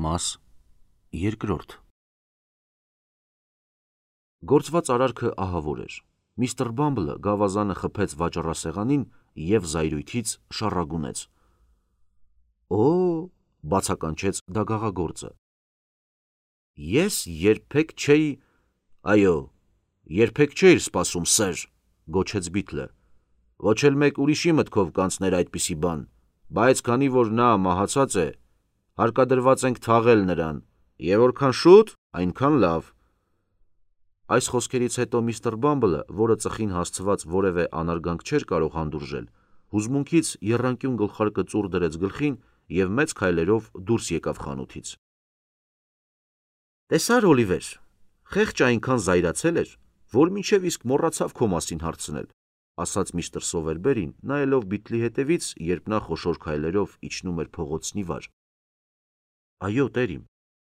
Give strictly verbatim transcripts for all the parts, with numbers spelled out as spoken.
Մաս երկրորդ Գործված արարքը ահավոր էր։ Միստր Բամբլը գավազանը խփեց վաճառասեղանին և զայրույթից շառագունեց. «Օ՜», բացականչեց դագաղագործը, «ես երբեք չէի…» «Այո, երբեք չէիր սպասում, սըր», գոչեց Բիթլը, «ոչ էլ մեկ ուրիշի մտքով կանցներ այդպիսի բան, բայց քանի որ նա մահացած է, հարկադրված ենք թաղել նրան, և որքան շուտ, այնքան լավ»։ Այս խոսքերից հետո միստր Բամբլը, որը ծխին հասցված որևէ անարգանք չէր կարող հանդուրժել, հուզմունքից եռանկյուն գլխարկը ծուռ դրեց գլխին և մեծ քայլերով դուրս եկավ խանութից։ «Տեսա՞ր, Օլիվեր, խեղճը այնքան զայրացել էր, որ մինչև իսկ մոռացավ քո մասին հարցնել», ասաց միստր Սովերբերին, նայելով Բիթլի հետևից, երբ նա խոշոր քայլերով իջնում էր փողոցն ի վար։ «Այո, տերիմ»,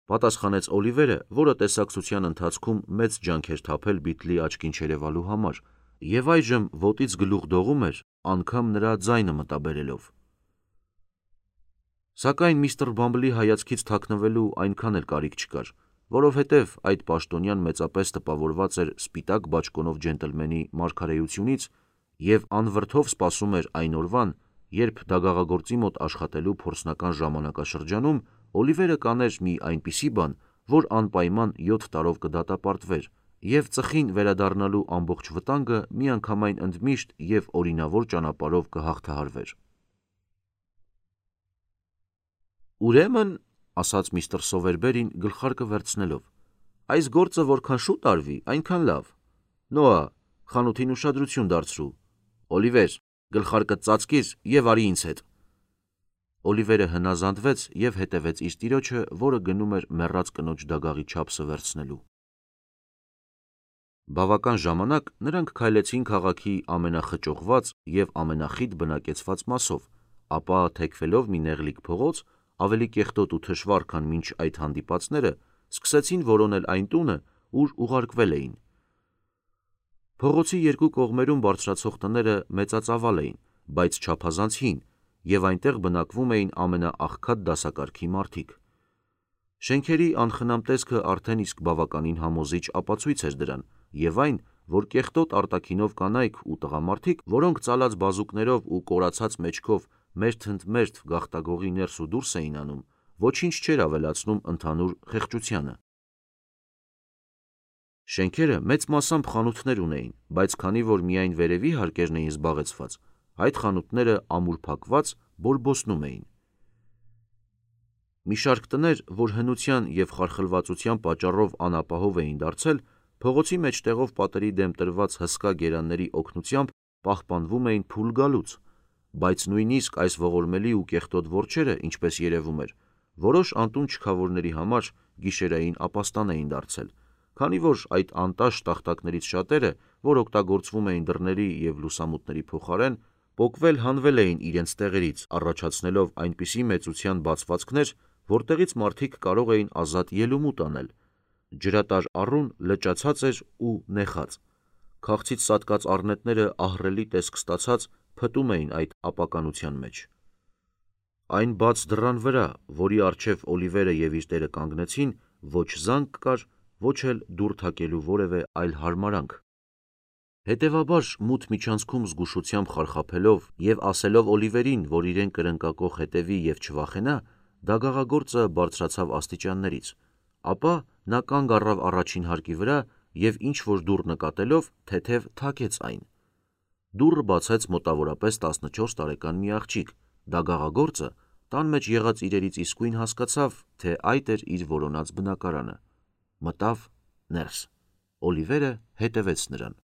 պատասխանեց Օլիվերը, որը տեսակցության ընթացքում մեծ ջանք էր թափել Բիթլի աչքին չերևալու համար, և այժմ ոտից գլուխ դողում էր, անգամ նրա ձայնը մտաբերելով։ Սակայն միստր Բամբլի հայացքից թաքնվելու այնքան էլ կարիք չկար, որովհետև այդ պաշտոնյան մեծապես տպավորված էր սպիտակ բաճկոնով ջենտլմենի մարգարեությունից և անվրդով սպասում էր այն օրվան, երբ դագաղագործի մոտ աշխատելու փորձնական ժամանակաշրջանում Օլիվերը կաներ մի այնպիսի բան, որ անպայման յոթ տարով կդատապարտվեր, և ծխին վերադառնալու ամբողջ վտանգը միանգամայն ընդմիշտ և օրինավոր ճանապարհով կհաղթահարվեր։ «Ուրեմն», ասաց միստր Սովերբերին գլխարկը վերցնելով, «այս գործը որքան շուտ արվի, այնքան լավ։ Նոա, խանութին ուշադրություն դարձրու։ Օլիվեր, գլխարկդ ծածկիր և արի ինձ հետ»։ Օլիվերը հնազանդվեց և հետևեց իր տիրոջը, որը գնում էր մեռած կնոջ դագաղի չափսը վերցնելու։ Բավական ժամանակ նրանք քայլեցին քաղաքի ամենախճողված և ամենախիտ բնակեցված մասով, ապա թեքվելով մի նեղլիկ փողոց, ավելի կեղտոտ ու թշվառ, քան մինչ այդ հանդիպածները, սկսեցին որոնել այն տունը, ուր ուղարկվել էին։ Փողոցի երկու կողմերում բարձրացող տները մեծածավալ էին, բայց չափազանց հին, և այնտեղ բնակվում էին ամենաաղքատ դասակարգի մարդիկ։ Շենքերի անխնամ տեսքը արդեն իսկ բավականին համոզիչ ապացույց էր դրան, և այն, որ կեղտոտ արտաքինով կանայք ու տղամարդիկ, որոնք ծալած բազուկներով ու կորացած մեջքով մերթ ընդ մերթ գաղտագողի ներս ու դուրս էին անում, ոչինչ չէր ավելացնում ընդհանուր խեղճությանը։ Շենքերը մեծ մասամբ խանութներ ունեին, բայց քանի որ միայն վերևի հարկերն էին զբաղեցված, այդ խանութները ամուր փակված բորբոսնում էին։ Մի շարք տներ, որ հնության և խարխլվածության պատճառով անապահով էին դարձել, փողոցի մեջտեղով պատերի դեմ տրված հսկա գերանների օգնությամբ պահպանվում էին փուլ գալուց, բայց նույնիսկ այս ողորմելի ու կեղտոտ որջերը, ինչպես երևում էր, որոշ անտուն չքավորների համար գիշերային ապաստան էին դարձել, քանի որ այդ անտաշ տախտակներից շատերը, որ օգտագործվում էին դռների և լուսամուտների փոխարեն, պոկվել հանվել էին իրենց տեղերից, առաջացնելով այնպիսի մեծության բացվածքներ, որտեղից մարդիկ կարող էին ազատ ելումուտ անել։ Ջրատար առուն լճացած էր ու նեխած։ Քաղցից սատկած առնետները ահռելի տեսք ստացած փտում էին այդ ապականության մեջ։ Այն բաց դռան վրա, որի առջև Օլիվերը և իր տերը կանգնեցին, ոչ զանգ կար, ոչ էլ դուռ թակելու որևէ այլ հարմարանք։ Հետևաբար, մութ միջանցքում զգուշությամբ խարխափելով և ասելով Օլիվերին, որ իրեն կրնկակոխ հետևի և չվախենա, դագաղագործը բարձրացավ աստիճաններից, ապա նա կանգ առավ առաջին հարկի վրա և ինչ-որ դուռ նկատելով, թեթև թակեց այն։ Դուռը բացեց մոտավորապես տասնչորս տարեկան մի աղջիկ։ Դագաղագործը տան մեջ եղած իրերից իսկույն հասկացավ, թե այդ էր իր որոնած բնակարանը։ Մտավ ներս։ Օլիվերը հետևեց նրան։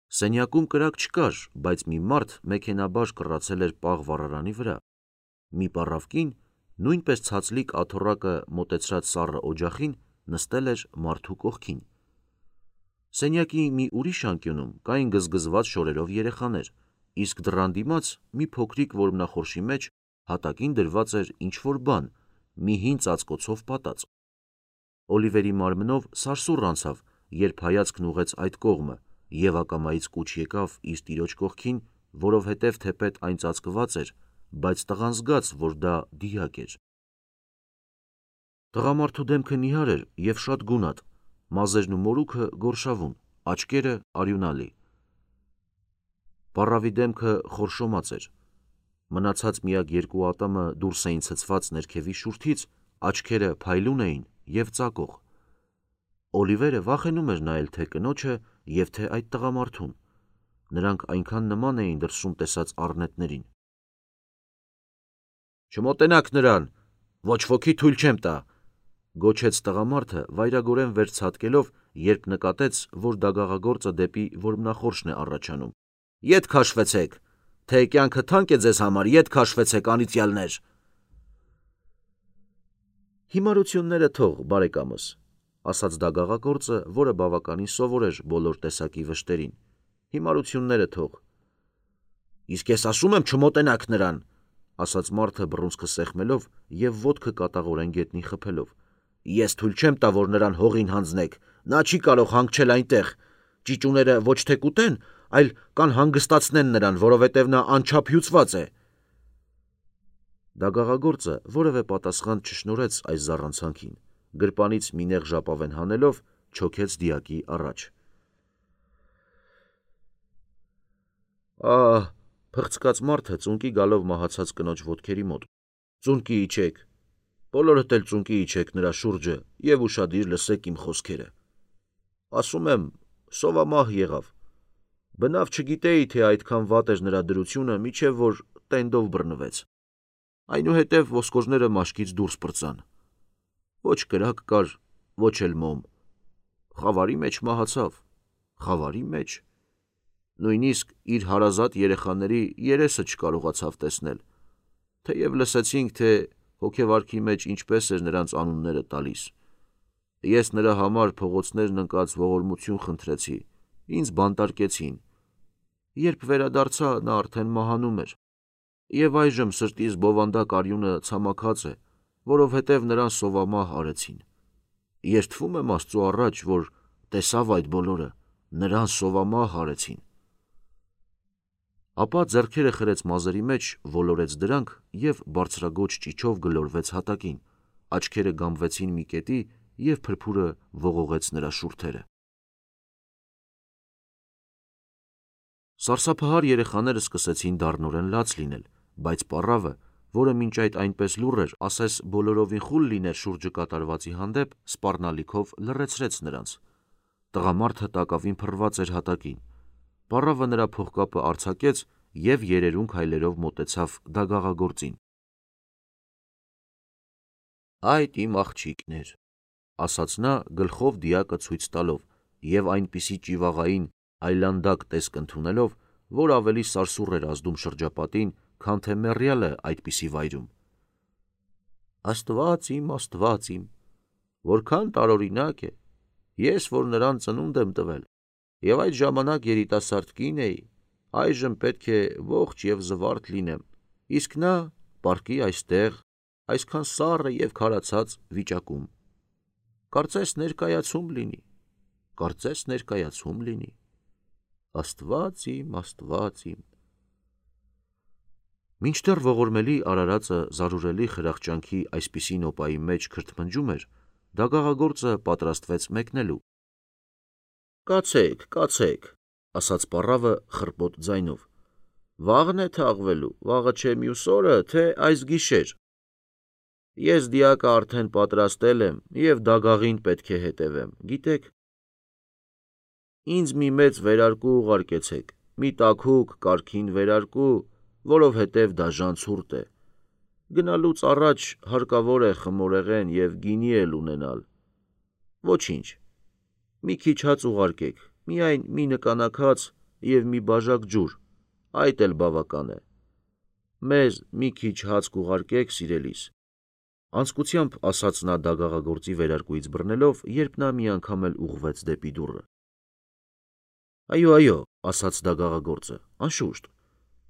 Սենյակում կրակ չկար, բայց մի մարդ մեքենայաբար կռացել էր պաղ վառարանի վրա։ Մի պառավ կին, նույնպես ցածլիկ աթոռակը մոտեցրած սառը օջախին, նստել էր մարդու կողքին։ Սենյակի մի ուրիշ անկյունում կային գզգզված շորերով երեխաներ, իսկ դռան դիմաց մի փոքրիկ որմնախորշի մեջ հատակին դրված էր ինչ-որ բան, մի հին ծածկոցով պատած։ Օլիվերի մարմնով սարսուռ անցավ, երբ հայացքն ուղղեց այդ կողմը, և ակամայից կուչ եկավ իր տիրոջ կողքին, որովհետև թեպետ այն ծածկված էր, բայց տղան զգաց, որ դա դիակ էր։ Տղամարդու դեմքը նիհար էր և շատ գունատ, մազերն ու մորուքը գորշավուն, աչքերը արյունալի։ Պառավի դեմքը խորշոմած էր, մնացած միակ երկու ատամը դուրս էին ցցված ներքևի շուրթից, աչքերը փայլուն էին և ծակող։ Օլիվերը վախենում էր նայել թե կնոջը և թե այդ տղամարդուն, նրանք այնքան նման էին դրսում տեսած առնետներին։ «Չմոտենաք նրան, ոչ ոքի թույլ չեմ տա», գոչեց տղամարդը վայրագորեն վերցցատկելով, երբ նկատեց, որ դագաղագործը դեպի որմնախորշն է առաջանում։ «Ետ քաշվեցեք, թե կյանքը թանկ է ձեզ համար, ետ քաշվեցեք, անիծյալներ»։ «Հիմարությունները թող, բարեկամս», ասաց դագաղագործը, որը բավականին սովոր էր բոլոր տեսակի վշտերին։ «Հիմարությունները թող»։ «Իսկ ես ասում եմ չմոտենաք նրան», ասաց մարդը բռունցքը սեղմելով և ոտքը կատաղորեն գետնին խփելով։ «Ես թույլ չեմ տա, որ նրան հողին հանձնեք, նա չի կարող հանգչել այնտեղ, ճիճուները ոչ թե կուտեն, այլ կանհանգստացնեն նրան, որովհետև նա անչափ հյուծված է»։ Դագաղագործը որևէ պատասխան չշնորհեց այս զառանցանքին, գրպանից մի նեղ ժապավեն հանելով, չոքեց դիակի առաջ։ «Ահ», փղցկաց մարդը ծունկի գալով մահացած կնոջ ոտքերի մոտ, «ծունկի իջեք, բոլորդ էլ ծունկի իջեք նրա շուրջը և ուշադիր լսեք իմ խոսքերը։ Ասում եմ, սովամահ եղավ, բնավ չգիտեի, թե այդքան վատ էր նրա դրությունը, մինչև որ տենդով բռնվեց։ Այնուհետև ոսկորները մաշկից դուրս պրծան, ոչ կրակ կար, ոչ էլ մոմ, խավարի մեջ մահացավ, խավարի մեջ, նույնիսկ իր հարազատ երեխաների երեսը չկարողացավ տեսնել, թեև լսեցինք, թե հոգեվարքի մեջ ինչպես էր նրանց անունները տալիս։ Ես նրա համար փողոցներն ընկած ողորմություն խնդրեցի, ինձ բանտարկեցին։ Երբ վերադարձա, նա արդեն մահանում էր, և այժմ սրտիս բովանդակ արյունը ցամաքած է, որովհետև նրան սովամահ արեցին։ Երդվում եմ Աստծու առաջ, որ տեսավ այդ բոլորը, նրան սովամահ արեցին»։ Ապա ձեռքերը խրեց մազերի մեջ, ոլորեց դրանք և բարձրագոչ ճիչով գլորվեց հատակին, աչքերը գամվեցին մի կետի և փրփուրը ողողեց նրա շուրթերը։ Սարսափահար երեխաները սկսեցին դառնորեն լաց լինել, բայց պառավը, որը մինչ այդ այնպես լուռ էր, ասես բոլորովին խուլ լիներ շուրջը կատարվածի հանդեպ, սպառնալիքով լռեցրեց նրանց։ Տղամարդը տակավին փռված էր հատակին։ Պառավը նրա փողկապը արձակեց և երերուն քայլերով մոտեցավ դագաղագործին։ «Այդ իմ աղջիկն էր», ասաց նա գլխով դիակը ցույց տալով և այնպիսի ճիվաղային, այլանդակ տեսք ընդունելով, որ ավելի սարսուռ էր ազդում շրջապատին, քան թե մեռյալը այդպիսի վայրում։ «Աստված իմ, Աստված իմ, որքան տարօրինակ է, ես, որ նրան ծնունդ եմ տվել, և այդ ժամանակ երիտասարդ կին էի, այժմ պետք է ողջ և զվարթ լինեմ, իսկ նա պառկի այստեղ, այսքան սառը և քարացած վիճակում։ Կարծես ներկայացում լինի, կարծես ներկայացում լինի, Աստված իմ, Աստված իմ»։ Մինչդեռ ողորմելի արարածը զարուրելի խրախճանքի այսպիսի նոպայի մեջ քրթմնջում էր, դագաղագործը պատրաստվեց մեկնելու։ «Կացեք, կացեք», ասաց պառավը խռպոտ ձայնով, «վաղն է թաղվելու, վաղը չէ մյուս օրը, թե այս գիշեր։ Ես դիակը արդեն պատրաստել եմ և դագաղին պետք է հետևեմ, գիտեք։ Ինձ մի մեծ վերարկու ուղարկեցեք, մի տաքուկ, կարգին վերարկու, որովհետև դաժան ցուրտ է։ Գնալուց առաջ հարկավոր է խմորեղեն և գինի էլ ունենալ։ Ոչինչ, մի քիչ հաց ուղարկեք, միայն մի նկանակ հաց և մի բաժակ ջուր, այդ էլ բավական է։ Մեզ մի քիչ հաց կուղարկեք, սիրելիս», անձկությամբ ասաց նա դագաղագործի վերարկուից բռնելով, երբ նա մի անգամ էլ ուղղվեց դեպի դուռը։ «Այո, այո», ասաց դագաղագործը, «անշուշտ,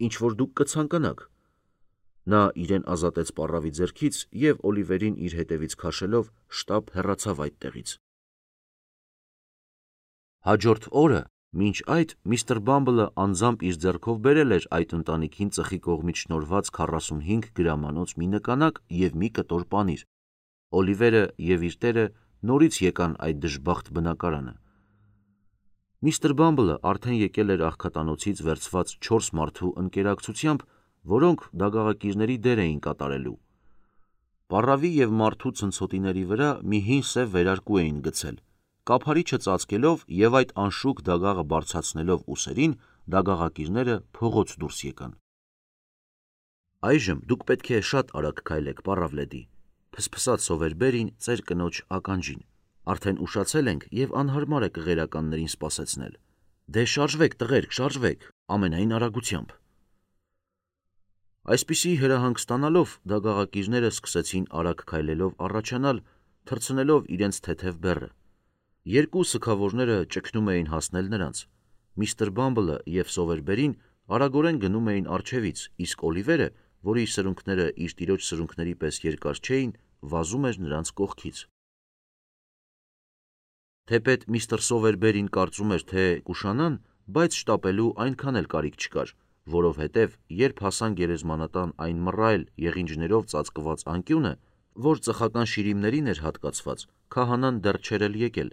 ինչ որ դուք կցանկանաք»։ Նա իրեն ազատեց պառավի ձեռքից և Օլիվերին իր հետևից քաշելով շտապ հեռացավ այդտեղից։ Հաջորդ օրը, մինչ այդ միստր Բամբլը անձամբ իր ձեռքով բերել էր այդ ընտանիքին ծխի կողմից շնորհված քառասունհինգ գրամանոց մի նկանակ և մի կտոր պանիր։ Օլիվերը և իր տերը նորից եկան այդ դժբախտ բնակարանը։ Միստր Բամբլը արդեն եկել էր աղքատանոցից վերցված չորս մարդու ընկերակցությամբ, որոնք դագաղակիրների դեր էին կատարելու։ Պառավի և մարդու ցնցոտիների վրա մի հին սև վերարկու էին գցել, կափարիչը ծածկելով և այդ անշուք դագաղը բարձրացնելով ուսերին, դագաղակիրները փողոց դուրս եկան։ Այժմ դուք պետք է շատ արագ քայլեք, պառավ Լեդի, փսփսաց Սովերբերին ծեր կնոջ ականջին։ Արդեն ուշացել ենք և անհարմար է կղերականներին սպասեցնել։ Դե շարժվեք, տղերք, շարժվեք, ամենայն արագությամբ։ Այսպիսի հրահանգ ստանալով դագաղակիրները սկսեցին արագ քայլելով առաջանալ, թռցնելով իրենց թեթև բեռը։ Երկու սգավորները ճգնում էին հասնել նրանց։ Միստր Բամբլը և Սովերբերին արագորեն գնում էին առջևից, իսկ Օլիվերը, որի սրունքները իր տիրոջ սրունքների պես երկար չէին, վազում էր նրանց կողքից։ Թեպետ միստր Սովերբերին կարծում էր, թե կուշանան, բայց շտապելու այնքան էլ կարիք չկար, որովհետև երբ հասան գերեզմանատան այն մռայլ եղինջներով ծածկված անկյունը, որ ծխական շիրիմներին էր հատկացված, քահանան դեռ չէր էլ եկել։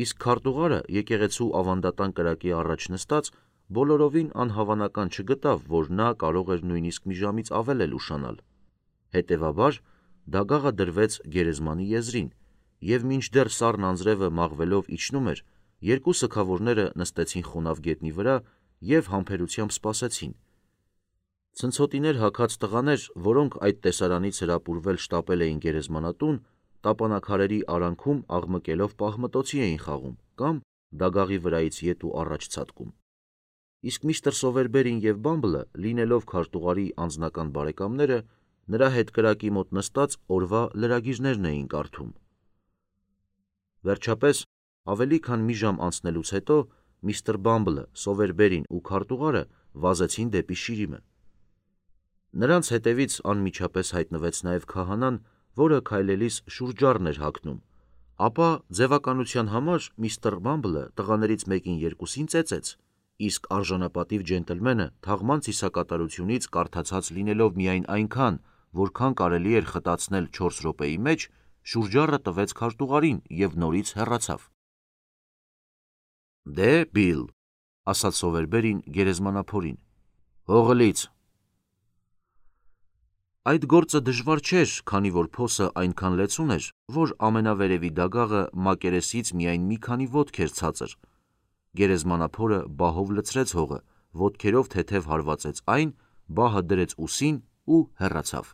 Իսկ քարտուղարը եկեղեցու ավանդատան կրակի առաջ նստած բոլորովին անհավանական չգտավ, որ նա կարող էր նույնիսկ մի ժամից ավել էլ ուշանալ։ Հետևաբար դագաղը դրվեց գերեզմանի եզրին, և մինչդեռ սառն անձրևը մաղվելով իջնում էր, երկու սգավորները նստեցին խոնավ գետնի վրա և համբերությամբ սպասեցին։ Ցնցոտիներ հագած տղաներ, որոնք այդ տեսարանից հրապուրվել շտապել էին գերեզմանատուն, տապանաքարերի արանքում աղմկելով պահմտոցի էին խաղում կամ դագաղի վրայից ետ ու առաջ ցատկում։ Իսկ միստր Սովերբերին և Բամբլը, լինելով քարտուղարի անձնական բարեկամները, նրա հետ կրակի մոտ նստած օրվա լրագիրներն էին կարդում։ Վերջապես, ավելի քան մի ժամ անցնելուց հետո, միստր Բամբլը, Սովերբերին ու քարտուղարը վազեցին դեպի շիրիմը։ Նրանց հետևից անմիջապես հայտնվեց նաև քահանան, որը քայլելիս շուրջառն էր հագնում, ապա ձևականության համար միստր Բամբլը տղաներից մեկին երկուսին ծեծեց, իսկ արժանապատիվ ջենտլմենը թաղման ծիսակատարությունից կարդացած լինելով միայն այնքան, որքան կարելի էր խտացնել չորս րոպեի մեջ, շուրջառը տվեց քարտուղարին և նորից հեռացավ։ Դե, Բիլ, ասաց Սովերբերին գերեզմանափորին, հողլից։ Այդ գործը դժվար չէր, քանի որ փոսը այնքան լեցուն էր, որ ամենավերևի դագաղը մակերեսից միայն մի քանի ոտք էր ցածր։ Գերեզմանափորը բահով լցրեց հողը, ոտքերով թեթև հարվածեց այն, բահը դրեց ուսին ու հեռացավ։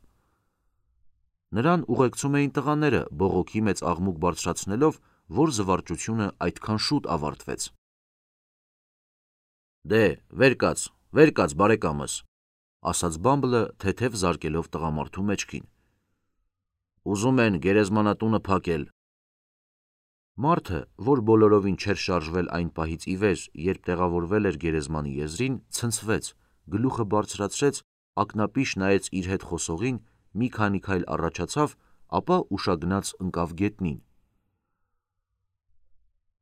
Նրան ուղեկցում էին տղաները, բողոքի մեծ աղմուկ բարձրացնելով, որ զվարճությունը այդքան շուտ ավարտվեց։ Դե, վեր կաց, վեր կաց, բարեկամս, ասաց Բամբլը թեթև զարկելով տղամարդու մեջքին։ Ուզում են գերեզմանատունը փակել։ Մարդը, որ բոլորովին չէր շարժվել այն պահից ի վեր, երբ տեղավորվել էր գերեզմանի եզրին, ցնցվեց, գլուխը բարձրացրեց, ակնապիշ նայեց իր հետ խոսողին, մի քանի քայլ առաջացավ, ապա ուշագնաց ընկավ գետնին։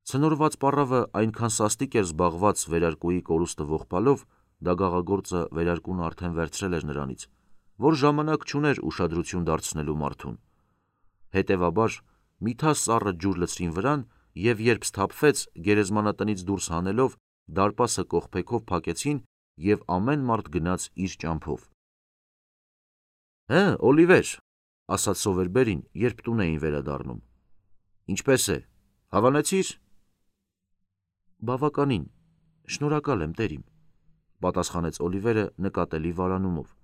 Ցնորված պառավը այնքան սաստիկ էր զբաղված վերարկուի կորուստը ողբալով, դագաղագործը վերարկուն արդեն վերցրել էր նրանից, որ ժամանակ չուներ ուշադրություն դարձնելու մարդուն։ Հետևաբար միթա սառը ջուր լցրին վրան և երբ սթափվեց, գերեզմանատնից դուրս հանելով, դարպասը կողպեքով փակեցին և ամեն մարդ գնաց իր ճամփով։ Հը, Օլիվեր, ասաց Սովերբերին, երբ տուն էին վերադառնում, ինչպե՞ս է, հավանեցի՞ր։ Բավականին, շնորհակալ եմ, տերիմ, պատասխանեց Օլիվերը նկատելի վարանումով։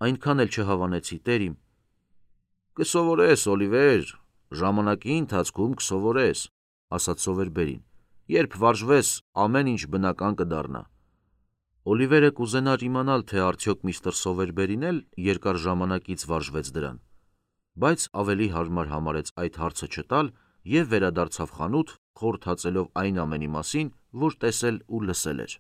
Այնքան էլ չհավանեցի, տերիմ։ Կսովորես, Օլիվեր, ժամանակի ընթացքում կսովորես, ասաց Սովերբերին, երբ վարժվես, ամեն ինչ բնական կդառնա։ Օլիվերը կուզենար իմանալ, թե արդյոք միստր Սովերբերին էլ երկար ժամանակից վարժվեց դրան, բայց ավելի հարմար համարեց այդ հարցը չտալ և վերադարձավ խանութ, խորհրդածելով այն ամենի մասին, որ տեսել ու լսել էր։